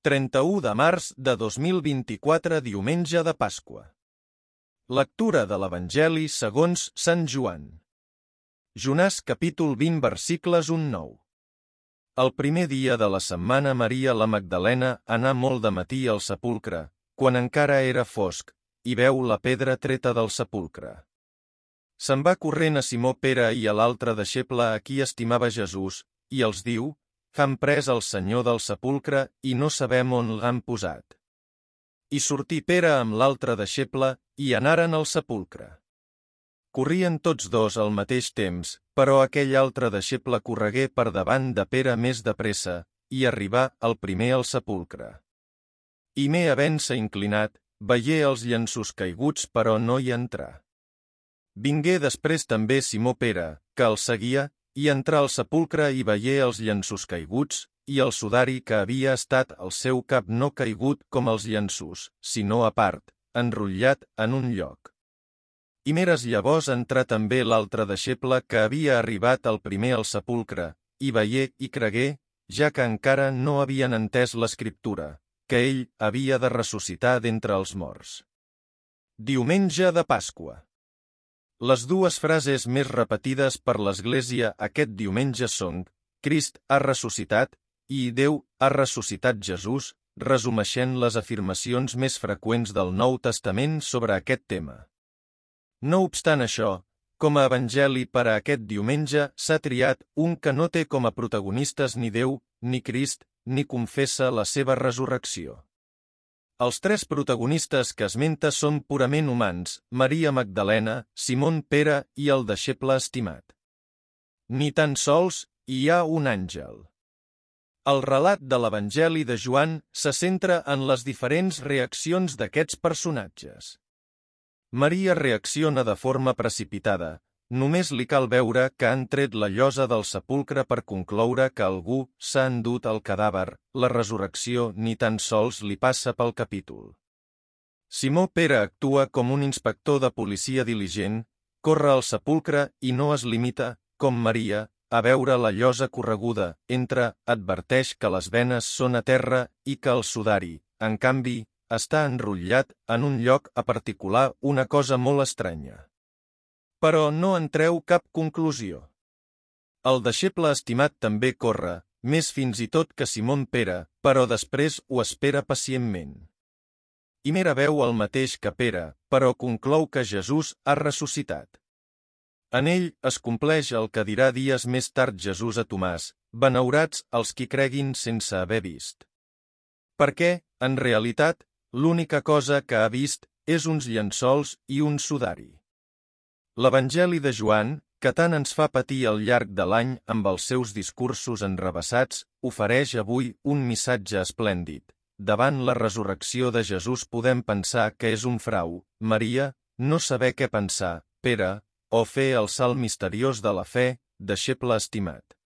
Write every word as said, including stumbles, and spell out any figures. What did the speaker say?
trenta-u de març de dos mil vint-i-quatre, diumenge de Pasqua. Lectura de l'Evangeli segons Sant Joan. Jonàs capítol vint versicles un a nou. El primer dia de la setmana Maria la Magdalena anà molt de matí al sepulcre, quan encara era fosc, i veu la pedra treta del sepulcre. Se'n va corrent a Simó Pere i a l'altre deixeble a qui estimava Jesús, i els diu: «Han pres el Senyor del sepulcre i no sabem on l'han posat». I sortí Pere amb l'altre deixeble i anaren al sepulcre. Corrien tots dos al mateix temps, però aquell altre deixeble corregué per davant de Pere més de pressa, i arribà el primer al sepulcre. I me havent-se inclinat, veié els llenços caiguts però no hi entrà. Vingué després també Simó Pere, que el seguia, i entrà al sepulcre i veié els llenços caiguts, i el sudari que havia estat al seu cap no caigut com els llenços, sinó a part, enrotllat en un lloc. I meres llavors entrà també l'altre deixeble que havia arribat el primer al sepulcre, i veié i cregué, ja que encara no havien entès l'escriptura, que ell havia de ressuscitar d'entre els morts. Diumenge de Pasqua. Les dues frases més repetides per l'Església aquest diumenge són: Crist ha ressuscitat i Déu ha ressuscitat Jesús, resumeixent les afirmacions més freqüents del Nou Testament sobre aquest tema. No obstant això, com a evangeli per a aquest diumenge s'ha triat un que no té com a protagonistes ni Déu, ni Crist, ni confessa la seva resurrecció. Els tres protagonistes que esmenta són purament humans: Maria Magdalena, Simon Pere i el deixeble estimat. Ni tan sols hi ha un àngel. El relat de l'Evangeli de Joan se centra en les diferents reaccions d'aquests personatges. Maria reacciona de forma precipitada. Només li cal veure que han tret la llosa del sepulcre per concloure que algú s'ha endut el cadàver. La resurrecció ni tan sols li passa pel capítol. Simó Pere actua com un inspector de policia diligent, corre al sepulcre i no es limita, com Maria, a veure la llosa correguda, entra, adverteix que les venes són a terra i que el sudari, en canvi, està enrotllat en un lloc a particular, una cosa molt estranya. Però no en treu cap conclusió. El deixeble estimat també corre, més fins i tot que Simon Pere, però després ho espera pacientment. I mera veu el mateix que Pere, però conclou que Jesús ha ressuscitat. En ell es compleix el que dirà dies més tard Jesús a Tomàs: «Benaurats els qui creguin sense haver vist». Perquè, en realitat, l'única cosa que ha vist és uns llençols i un sudari. L'Evangeli de Joan, que tant ens fa patir al llarg de l'any amb els seus discursos enrevessats, ofereix avui un missatge esplèndid. Davant la resurrecció de Jesús podem pensar que és un frau, Maria, no saber què pensar, Pere, o fer el salt misteriós de la fe, deixeble estimat.